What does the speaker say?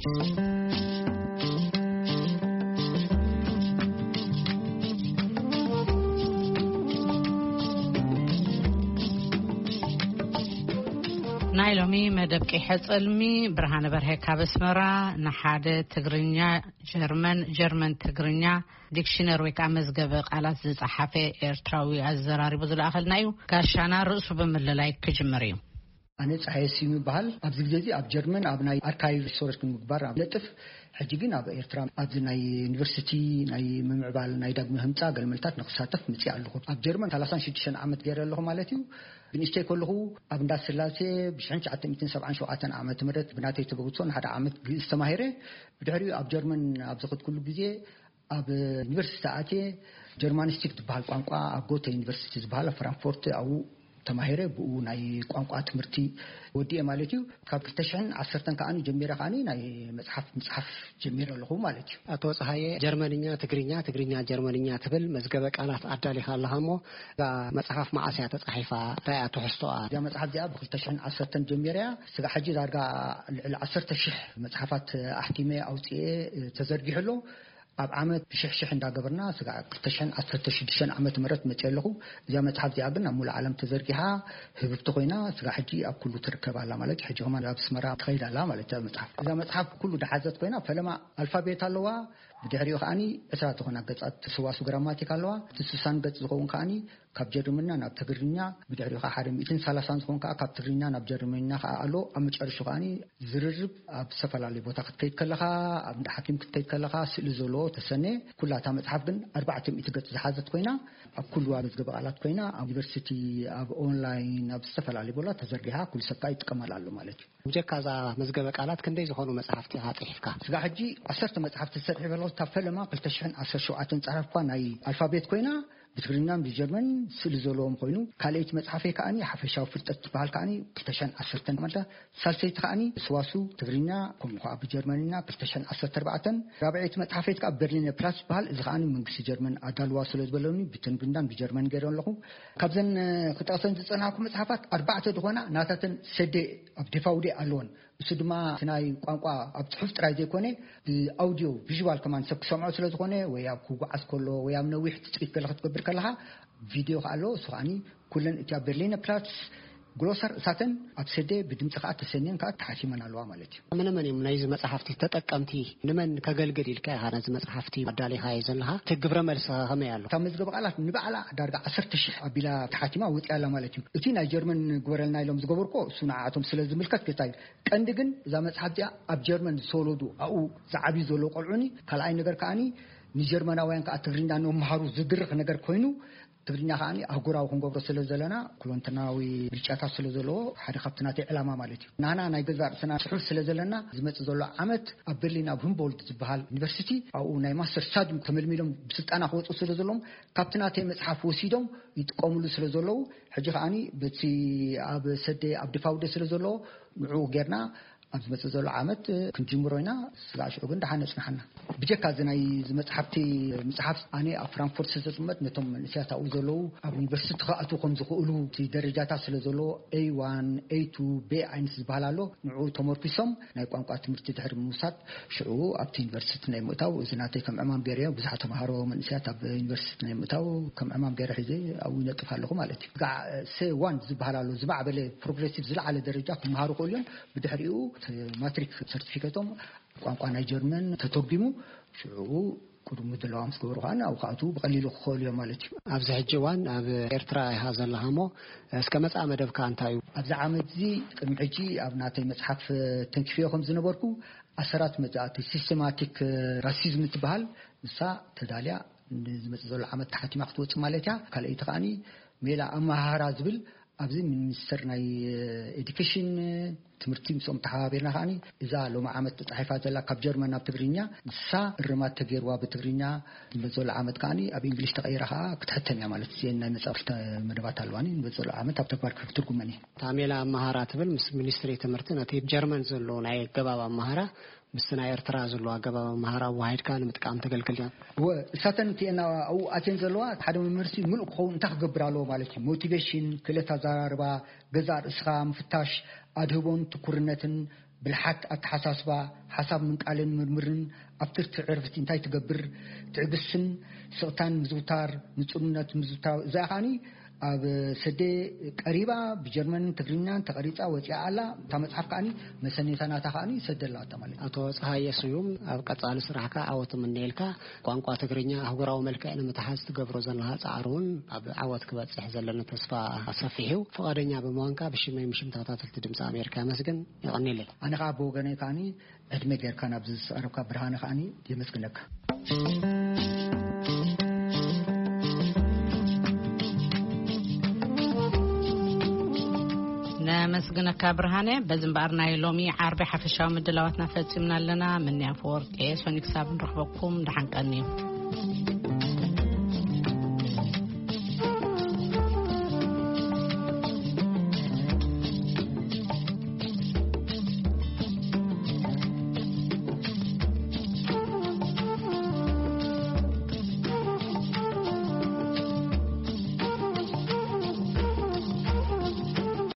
ናይ ሎሚ መደብ ቀይሐ ጸልሚ፣ ብርሃነ በርሀ ካብ ኣስመራ። ንሓደ ትግርኛ ጀርመን፣ ጀርመን ትግርኛ ዲክሽነር ወይ ከዓ መዝገበ ቃላት ዝጸሓፈ ኤርትራዊ ኣዘራሪቡ ዝለኣኸልና እዩ። ጋሻና ርእሱ ብምልላይ ክጅምር እዩ። ኣነ ጸሃየ ስዩም ይበሃል። ኣብዚ ግዜ እዚ ኣብ ጀርመን ኣብ ናይ ኣርካይቭ ሪሰርች ንምግባር ኣብ ለጥፍ፣ ሕጂ ግን ኣብ ኤርትራ ኣብዚ ናይ ዩኒቨርሲቲ ናይ ምምዕባል ናይ ዳግመ ህንጻ ገልመልታት ንክሳተፍ ምጽእ ኣለኹ። ኣብ ጀርመን ሰላሳን ሽዱሽተን ዓመት ገይረ ኣለኹ ማለት እዩ። ብንእሽተይ ከለኹ ኣብ እንዳ ስላሴ ብሽሕን ትሽዓተ ሚእትን ሰብዓን ሸውዓተን ዓመተ ምህረት ብናተይ ተበግሶ ንሓደ ዓመት ግእዝ ተማሂረ። ብድሕሪኡ ኣብ ጀርመን ኣብ ዝኸድኩሉ ግዜ ኣብ ዩኒቨርሲቲ ኣትየ ጀርማኒስቲክ ዝበሃል ቋንቋ ኣብ ጎተ ዩኒቨርሲቲ ዝበሃል ኣብ ፍራንክፎርት ኣብኡ ተማሂረ። ብኡ ናይ ቋንቋ ትምህርቲ ወዲኤ ማለት እዩ። ካብ ክልተ ሽሕን ዓሰርተን ከዓኒ ጀሚረ ከዓኒ ናይ መጽሓፍ ምጽሓፍ ጀሚረ ኣለኹ ማለት እዩ። ኣቶ ጸሃየ፣ ጀርመንኛ ትግርኛ፣ ትግርኛ ጀርመንኛ ትብል መዝገበ ቃላት ኣዳሊኻ ኣለኻ እሞ፣ እዛ መጽሓፍ መዓስ እያ ተጻሒፋ? እንታይ እያ ትሕዝቶኣ? እዛ መጽሓፍ እዚኣ ብ ክልተ ሽሕን ዓሰርተን ጀሚረ እያ። ስጋዕ ሕጂ ዳርጋ ልዕሊ ዓሰርተ ሽሕ መጽሓፋት ኣሕቲመ ኣውጽኤ ተዘርጊሑ ኣሎ። ኣብ ዓመት ብሽሕ ሽሕ እንዳገበርና ስጋዕ ክልተ ሽሕን ዓሰርተ ሽዱሽተን ዓመተ ምህረት መጽእ ኣለኹ። እዛ መጽሓፍ እዚኣ ግን ኣብ ሙሉእ ዓለም ተዘርጊሓ ህብብቲ ኮይና ስጋዕ ሕጂ ኣብ ኩሉ ትርከብ ኣላ ማለት እዩ። ሕጂ ከማን ኣብ ኣስመራ ትኸይድ ኣላ ማለት እያ መጽሓፍ። እዛ መጽሓፍ ኩሉ ድሓዘት ኮይና ፈለማ ኣልፋቤት ኣለዋ። ብድሕሪኡ ከዓኒ ዕስራ ዝኾና ገጻት ሰዋሱ ግራማቲክ ኣለዋ። እቲ ስሳን ገጽ ዝኸውን ከዓኒ ካብ ጀርመንኛ ናብ ትግርኛ፣ ብድሕሪኡ ከዓ ሓደ ሚእትን ሰላሳን ዝኸውን ከዓ ካብ ትግርኛ ናብ ጀርመንኛ ከዓ ኣሎ። ኣብ መጨረሹ ከዓኒ ዝርርብ ኣብ ዝተፈላለዩ ቦታ ክትከይድ ከለኻ፣ ኣብ እንዳ ሓኪም ክትከይድ ከለኻ ስእሊ ዘለዎ ተሰነ። ኩላ እታ መጽሓፍ ግን ኣርባዕተ ሚእቲ ገጽ ዝሓዘት ኮይና ኣብ ኩሉ መዝገበ ቃላት ኮይና ኣብ ዩኒቨርሲቲ፣ ኣብ ኦንላይን፣ ኣብ ዝተፈላለዩ ቦታ ተዘርጊሓ ኩሉ ሰብ ከዓ ይጥቀመላ ኣሎ ማለት እዩ። ብጀካ እዛ መዝገበ ቃላት ክንደይ ዝኾኑ መጽሓፍቲ ኢኻ ጽሒፍካ? ስጋ ሕጂ ዓሰርተ መጽሓፍቲ ዝሰርሕ በለኹ። እታ ፈለማ ክልተ ሽሕን ዓሰርተ ሸውዓተን ጸሓፍኳ ናይ ኣልፋቤት ኮይና ብትግርኛን ብጀርመን ስእሊ ዘለዎም ኮይኑ፣ ካልኣይቲ መጽሓፈይ ከዓኒ ሓፈሻዊ ፍልጠት ትበሃል ከዓኒ ክልተ ሽሕን ዓሰርተን ማለት፣ ሳልሰይቲ ከዓኒ ስዋሱ ትግርኛ ከምኡ ከዓ ብጀርመንኛ ክልተ ሽሕን ዓሰርተ ኣርባዕተን፣ ራብዐይቲ መጽሓፈይ ከዓ በርሊነ ፕላስ ትበሃል። እዚ ከዓኒ መንግስቲ ጀርመን ኣዳልዋ ስለ ዝበለኒ ብትግርኛን ብጀርመን ገይረ ኣለኹ። ካብዘን ክጠቕሰን ዝጸናሕኩ መጽሓፋት ኣርባዕተ ዝኾና ናታተን ሰደ ኣብ ዲፋውዴ ኣለወን። እሱ ድማ እቲ ናይ ቋንቋ ኣብ ጽሑፍ ጥራይ ዘይኮነ ብኣውዲዮ ቪዥዋል ከማን ሰብ ክሰምዖ ስለ ዝኾነ፣ ወይ ኣብ ክጓዓዝ ከሎ ወይ ኣብ ነዊሕ ትጽቢት ገለ ክትገብር ከለኻ ቪድዮ ከኣ ኣሎ። እሱ ከዓኒ ኩለን እቲ ኣብ በርሊነ ፕላትስ ግሎሰር እሳተን ኣብ ሰደ ብድምጺ ከኣ ተሰንየን ከኣ ተሓቲመን ኣለዋ ማለት እዩ። መነ መን እዮም ናይዚ መጽሓፍቲ ተጠቀምቲ? ንመን ከገልግል ኢልካ ኢኻ ነዚ መጽሓፍቲ ኣዳሊኻዮ ዘለኻ? እቲ ግብረ መልሲ ከመይ ኣሎ? እታ መዝገበ ቃላት ንባዕላ ዳርጋ ዓሰርተ ሽሕ ኣቢላ ተሓቲማ ወጺኣ ኣላ ማለት እዩ። እቲ ናይ ጀርመን ግበረልና ኢሎም ዝገበርኮ እሱ ንዓኣቶም ስለ ዝምልከት ገታ እዩ። ቀንዲ ግን እዛ መጽሓፍ እዚኣ ኣብ ጀርመን ዝተወለዱ ኣብኡ ዝዓብዩ ዘለዉ ቆልዑኒ፣ ካልኣይ ነገር ከዓኒ ንጀርመናውያን ከኣ ትግርኛ ንመሃሩ ዝድርኽ ነገር ኮይኑ፣ ትግርኛ ከዓኒ ኣህጉራዊ ክንገብሮ ስለ ዘለና፣ ኩለንተናዊ ብልጫታት ስለ ዘለዎ፣ ሓደ ካብቲ ናተይ ዕላማ ማለት እዩ። ናና ናይ ገዛእ ርእስና ጽሑፍ ስለ ዘለና፣ ዝመጽእ ዘሎ ዓመት ኣብ በርሊን ኣብ ሁምቦልት ዝበሃል ዩኒቨርሲቲ፣ ኣብኡ ናይ ማስተር ስታድዩም ተመልሚሎም ብስልጠና ክወጹ ስለ ዘለዎም፣ ካብቲ ናተይ መጽሓፍ ወሲዶም ይጥቀምሉ ስለ ዘለዉ፣ ሕጂ ከዓኒ በቲ ኣብ ሰደ ኣብ ድፋውደ ስለ ዘለዎ፣ ንዕኡ ጌርና ኣብ ዝመጽእ ዘሎ ዓመት ክንጅምሮ ኢና። ስጋዕ ሽዑ ግን ደሓን የጽንሓና። ብጀካ እዚ ናይ እዚ መጽሓፍቲ ምጽሓፍ፣ ኣነ ኣብ ፍራንክፎርት ስለ ዝቕመጥ፣ ነቶም መንእሰያት ኣብኡ ዘለዉ ኣብ ዩኒቨርሲቲ ክኣትዉ ከም ዝኽእሉ፣ እቲ ደረጃታት ስለ ዘለዎ፣ ኤ ዋን፣ ኤ ቱ፣ ቤ ኣይንስ ዝበሃል ኣሎ። ንዕኡ ተመርኪሶም ናይ ቋንቋ ትምህርቲ ድሕሪ ምውሳድ፣ ሽዑ ኣብቲ ዩኒቨርሲቲ ናይ ምእታው፣ እዚ ናተይ ከም ዕማም ገይረዮ። ብዙሓት ተምሃሮ መንእሰያት ኣብ ዩኒቨርሲቲ ናይ ምእታው ከም ዕማም ገይረ ሒዘ ኣብኡ ይነጥፍ ኣለኹ ማለት እዩ። ጋዕ ሴ ዋን ዝበሃል ኣሎ፣ ዝማዕበለ ፕሮግሬሲቭ ዝለዓለ ደረጃ ክመሃሩ ክእሉ እዮም። ብድሕሪኡ እቲ ማትሪክ ሰርቲፊኬቶም ቋንቋ ናይ ጀርመን ተተርጒሙ፣ ሽዑ ቅድሚ ድለዋ ምስ ገበሩ ከኣ ኣብኡ ክኣትዉ ብቐሊሉ ክኽእሉ እዮም ማለት እዩ። ኣብዚ ሕጂ እዋን ኣብ ኤርትራ ኢኻ ዘለኻ እሞ፣ እስከ መጻኢ መደብካ እንታይ እዩ? ኣብዚ ዓመት እዚ ቅድሚ ሕጂ ኣብ ናተይ መጽሓፍ ተንኪፈዮ ከም ዝነበርኩ፣ ኣሰራት መጻእቲ ሲስተማቲክ ራሲዝም ትበሃል፣ ንሳ ተዳልያ ንዝመጽእ ዘሎ ዓመት ተሓቲማ ክትወጽእ ማለት እያ። ካልኣይቲ ከኣኒ ሜላ ኣመሃህራ ዝብል ኣብዚ ሚኒስተር ናይ ኤዱኬሽን ትምህርቲ ምስኦም ተሓባቢርና ከኣኒ እዛ ሎሚ ዓመት ተጻሒፋ ዘላ ካብ ጀርመን ናብ ትግርኛ ንሳ እርማት ተገይርዋ ብትግርኛ ንመጽእ ዘሎ ዓመት ከኣኒ ኣብ እንግሊሽ ተቐይራ ከኣ ክትሕተም እያ ማለት እየን። ናይ መጻኢ ክልተ መደባት ኣለዋኒ ንመጽእ ዘሎ ዓመት ኣብ ተግባር ክትትርጉመን እየን። እታ ሜላ ኣመሃራ ትብል ምስ ሚኒስትሪ ትምህርቲ ነቲ ጀርመን ዘሎ ናይ ኣገባብ ኣመሃራ ምስቲ ናይ ኤርትራ ዘሎ ኣገባብ ኣመሃራ ኣዋሃሂድካ ንምጥቃም ተገልግል ድያ? እወ፣ እሳተን እቲኤን ኣብኡ ኣትየን ዘለዋ ሓደ መምህርሲ ምሉእ ክኸውን እንታይ ክገብር ኣለዎ ማለት እዩ። ሞቲቬሽን፣ ክእለት ኣዘራርባ፣ ገዛእ ርእስኻ ምፍታሽ፣ ኣድህቦን ትኩርነትን ብልሓት ኣተሓሳስባ፣ ሓሳብ ምንቃልን ምርምርን ኣብቲ ዕርፍቲ እንታይ ትገብር፣ ትዕግስትን ስቕታን ምዝውታር፣ ንጹርነት ምዝውታር፣ እዚኣ ከኣኒ ኣብ ሰደ ቀሪባ ብጀርመንን ትግርኛን ተቐሪጻ ወጺኣ ኣላ። እታ መጽሓፍ ከኣኒ መሰኔታ ናታ ከኣኒ ሰደላ ኣታ ማለት እዩ። ኣቶ ፀሃየ ስዩም፣ ኣብ ቀጻሊ ስራሕካ ዓወት እምነየልካ። ቋንቋ ትግርኛ ኣህጉራዊ መልክዕ ንምትሓዝ ትገብሮ ዘለኻ ጻዕሪ እውን ኣብ ዓወት ክበጽሕ ዘለና ተስፋ ሰፊሕ እዩ። ፍቓደኛ ብምዃንካ ብሽመይ ምሽም ተኸታተልቲ ድምፂ ኣሜሪካ የመስግን። የቐንየለይ። ኣነ ከዓ ብወገነይ ከዓኒ ዕድመ ጌርካ ናብዚ ዝተቐረብካ ብርሃነ ከዓኒ የመስግነካ። ነመስግነካ ብርሃነ። በዚ እምበኣር ናይ ሎሚ ዓርቢ ሓፈሻዊ ምድላዋትና ፈጺምና ኣለና። ምንያ ፈወርቂ እየ። ሰኑይ ክሳብ ንረኽበኩም ደሓን ቀንዩ።